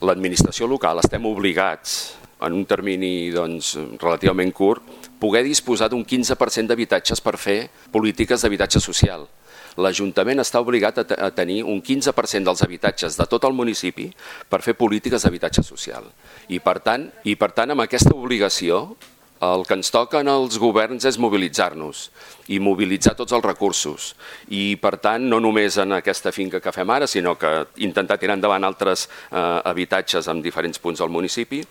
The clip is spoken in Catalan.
L'administració local estem obligats, en un termini relativament curt, poder disposar d'un 15% d'habitatges per fer polítiques d'habitatge social. L'Ajuntament està obligat a tenir un 15% dels habitatges de tot el municipi per fer polítiques d'habitatge social. I per tant, amb aquesta obligació, el que ens toca als governs és mobilitzar-nos i mobilitzar tots els recursos. I, per tant, no només en aquesta finca que fem ara, sinó que intentar tirar endavant altres habitatges en diferents punts del municipi